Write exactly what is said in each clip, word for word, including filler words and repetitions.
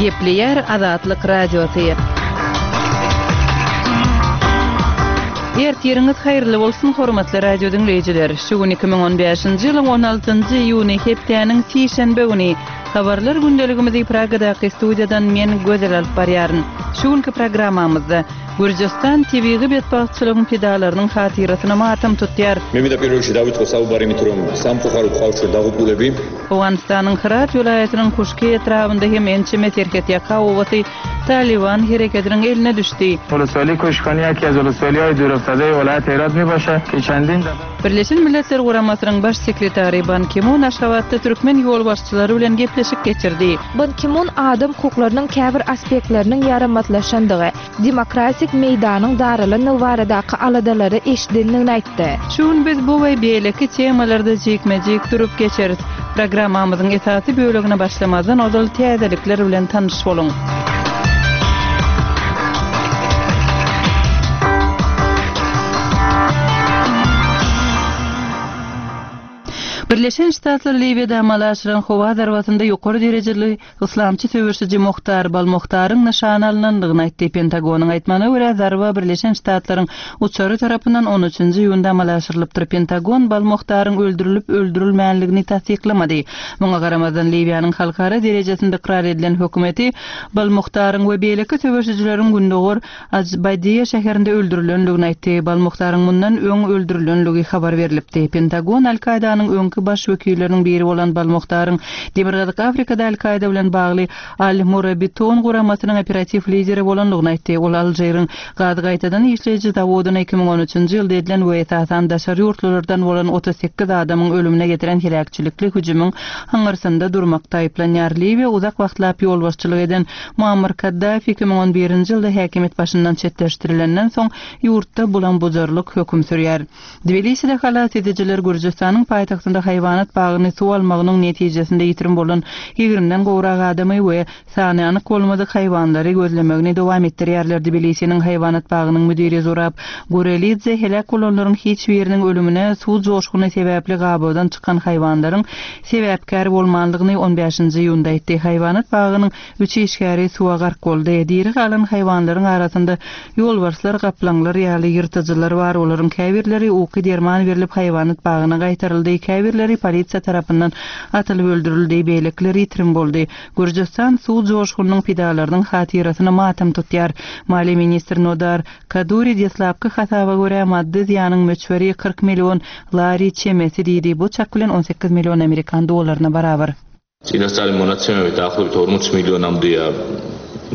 Gepleýär Azatlyk Radiosy. Ertiriňiz haýyrly bolsun, hormatly radio diňleýjiler! Şu gün iki müň on bäşinji ýylyň on altynjy iýuny, hepdäniň sişenbe güni. Habarlar gündeligimizi Pragadaky studiýadan men Gözel alyp barýaryn. Şu günki programmamyzda Gürjüstan tebigy betbagtçylygyň pidalarynyň hatyrasyna matam tutýar. მე მინდა პირველ რიგში დავიწყო საუბარი იმით, რომ სამწუხაროდ ყავს ჩვენ დაღუპულები. Owganystanyň Hyrat welaýatynyň Kuşki etrabynda hem ençeme serhetýaka obasy Talyban hereketiniň eline düşdi. ولسوالی Kuşkani یکی از ولسوالی‌های دورافتاده ولایت Herat میباشد که چندین Birleşen Milletler Guramasynyň Baş sekretary Ban Ki-mun Aşgabatda türkmen ýolbaşçylary bilen gepleşik geçirdi. Ban Ki-mun adam hukuklarynyň käbir aspektleriniň ýaramazlaşandygy, demokratik meýdanyň daralandygy baradaky aladalary eşidendigini aýtdy. Şu gün biz bu we beýleki temalarda jikme-jik durup geçeris. Programmamyzyň esasy bölegine başlamazdan ozal täzelikler bilen tanyş boluň. Birleşen Ştatlar Liwiýada amala aşyran howa zarbasynda ýokary derejeli yslamçy söweşiji Muhtar Balmuhtaryň nyşana alynandygyny aýtdy. Pentagonyň aýtmagyna görä zarba Birleşen Ştatlaryň uçary tarapyndan on üçünji iýunda amala aşyrylypdyr. Pentagon Balmuhtaryň öldürilip öldürilmänligini tassyklamady. Muňa garamazdan Liwiýanyň halkara derejesinde ykrar edilen hökümeti Balmuhtaryň we beýleki söweşijileriň gündogar Ajbadiýa şäherinde öldürilenligini aýtdy. Balmuhtaryň mundan öň öldürilenligi habar berilipdi. Pentagon Al-Kaidanyň öňki baş wekilleriniň biri bolan Balmuhtaryň Demirgazyk Afrikada Al-Kaida bilen bagly Al-Murabiton guramasynyň operatiw lideri bolanlygyny aýtdy. Ol Alžiriň gaz gaýtadan işleýji zawodyna iki müň on üçünji ýylda edilen we esasan daşary ýurtlardan bolan otuz sekiz adamyň ölümine getiren heläkçilikli hüjümiň aňyrsynda durmakda aýyplanýar. Liwiýa uzak wagtlap ýolbaşçylyk eden Muammar Kaddafi iki müň on birinji ýylda häkimiýet başyndan çetleşdirilenden soň ýurtda bulam-bujarlyk höküm sürýär. Tbiliside halas edijiler Gürjüstanyň paýtagtynda haýwanat bagyny suw almagynyň netijesinde ýitirim bolan ýigrimden gowrak adamy we sany anyk bolmadyk haýwanlary gözlemegini dowam etdirýärler. Tbilisiniň haýwanat bagynyň müdiri Zurab Gurelidze heläk bolanlaryň hiç biriniň ölümine suw joşguny sebäpli gabawdan çykan haýwanlaryň sebäpkär bolmanlygyny on bäşinji iýunda aýtdy. Haýwanat bagynyň üç işgäri suwa gark boldy. Diri galan haýwanlaryň arasynda ýolbarslar, gaplaňlar ýaly ýyrtyjylar bar. Olaryň käbirleri uky derman berilip haýwanat bagyna gaýtaryldy. Käbirleri polisiýa tarapyndan atylyp öldürildi, beýlekiler ýitirim boldy. Gürjüstan suw joşgunynyň pidalarynyň hatyrasyna matam tutýar. Maliýe ministri Nodar Kaduri deslapky hasaba görä maddy zyýanyň möçberi kyrk million lari çemesi diýdi. Bu çak bilen on sekiz million Amerikan dollaryna barabar. წინასწარი მონაცემებით დაახლოებით ორმოც მილიონამდეა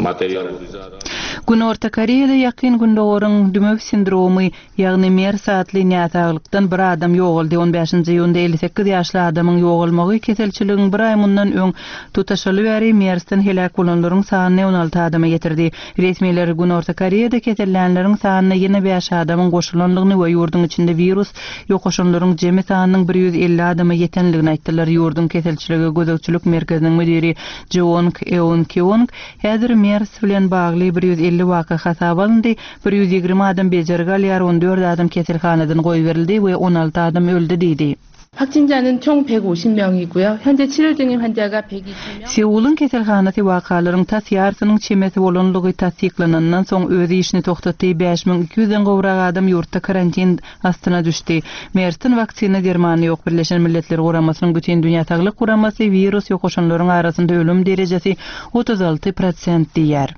მატერიალური ზარალი. Günorta Koreýada ýakyn gündogaryň dümew sindromy, ýagny MERS atly näsaglykdan bir adam ýogaldy. on bäşinji iýunda elli sekiz ýaşly adamyň ýogalmagy keselçiligiň bir aý mundan öň tutaşaly bäri MERS-den heläk bolanlaryň sanyny on alty adama getirdi. Resmiler Günorta Koreýada kesellänleriň sanyna ýene bäş adamyň goşulanlygyny we ýurduň içinde wirus ýokaşanlaryň jemi sanynyň bir ýüz elli adama ýetenligini aýtdylar. Ýurduň keselçiligi gözegçilik merkeziniň müdiri Jeong Eun Kyung häzir MERS bilen bagly bir ýüz elli waka hasap alyndy. Bir ýüz ýigrimi adam bejergi alýar, on dört adam keselhanadan goýberildi we on alty adam öldi diýdi. 확진자는 총 백오십 명이고요. 현재 치료 중인 환자가 백이십 명. Seul'un keselhanasy wakalaryň tas ýarsynyň çemesi bolanlygy tassyklanandan soň öz işini toxtatdy. bäş müň iki ýüzden gowrak adam ýurtda karantin astyna düşdi. MERS-iň waksina dermany ýok. Birleşen Milletler Guramasynyň Bütün Dünýä Saglyk Guramasy wirus ýokaşanlaryň arasynda ölüm derejesi otuz alty prosent diýär.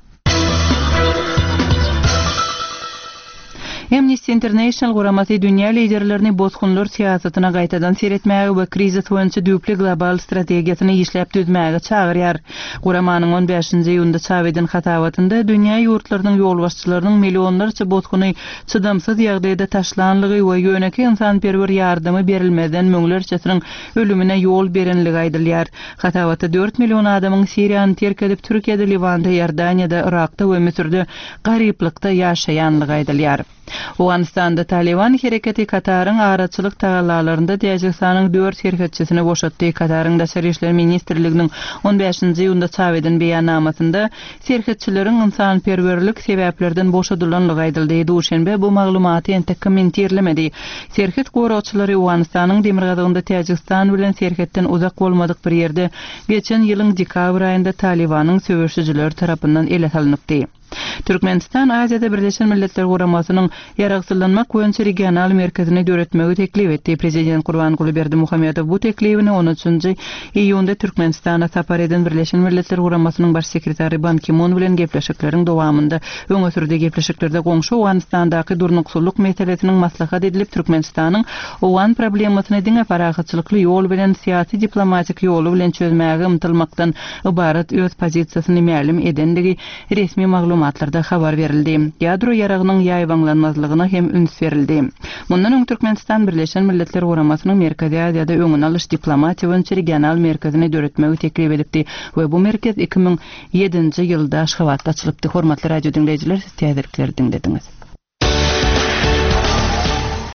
Amnesty International guramasy dünýä liderlerini bozgunlar syýasatyna gaýtadan seretmäge we krizis boýunça düýpli global strategiýasyny işläp düzmäge çagyrýar. Guramanyň on bäşinji iýunda çap eden hasabatynda dünýä ýurtlarynyň ýolbaşçylarynyň millionlarça bozguny çydamsyz ýagdaýda taşlanlygy we ýöneki ynsanperwer ýardymy berilmezden müňlerçesiniň ölümine ýol berenligi aýdylýar. Hasabatda dört million adamyň Siriýany terk edip Türkiýede, Liwanda, Iordaniýada, Irakda we Müsürde garyplykda ýaşaýanlygy aýdylýar. Owganystanda Taliban hereketi Kataryň araçylyk tagallalarynda Täjigistanyň dört serhetçisini boşatdy. Kataryň Daşary işler ministrliginiň on bäşinji iýunda çap eden beýannamasynda serhetçileriň ynsanperwerlik sebäplerden boşadylanlygy aýdyldy. Duşenbe bu maglumaty entek kommentirlemedi. Serhet goragçylary Owganystanyň demirgazygynda Täjigistan bilen serhetden uzak bolmadyk bir ýerde geçen ýylyň dekabr aýynda Talibanyň söweşijileri tarapyndan ele salynypdy. Türkmenistan Aziýada Birleşen Milletler Guramasynyň ýaragsyzlanmak boýunça regional merkezini döretmegi teklip etdi. Prezident Gurbanguly Berdimuhamedow bu teklibini on üçünji iýunda Türkmenistana sapar eden Birleşen Milletler Guramasynyň baş sekretary Ban Ki-mun bilen gepleşikleriň dowamynda öňe sürdi. Gepleşiklerde goňşy Owganystandaky durnuksyzlyk meselesiniň maslahat edilip, Türkmenistanyň owgan problemasyny diňe parahatçylykly ýol bilen, syýasy diplomatik ýoly bilen çözmäge ymtylmakdan ybarat öz pozisiýasyny mälim edendigi resmi maglumatlarda habar berildi. Ýadro ýaragynyň ýaýbaňlanmazlygyna hem üns berildi. Mundan öň Türkmenistan Birleşen Milletler Guramasynyň Merkezi Aziýada öňüni alyş diplomatiýa boýunça regional merkezini döretmegi teklip edipdi we bu merkez iki müň ýedinji ýylda Aşgabatda açylypdy. Hormatly radio diňleýjiler, siz täzelikleri diňlediňiz.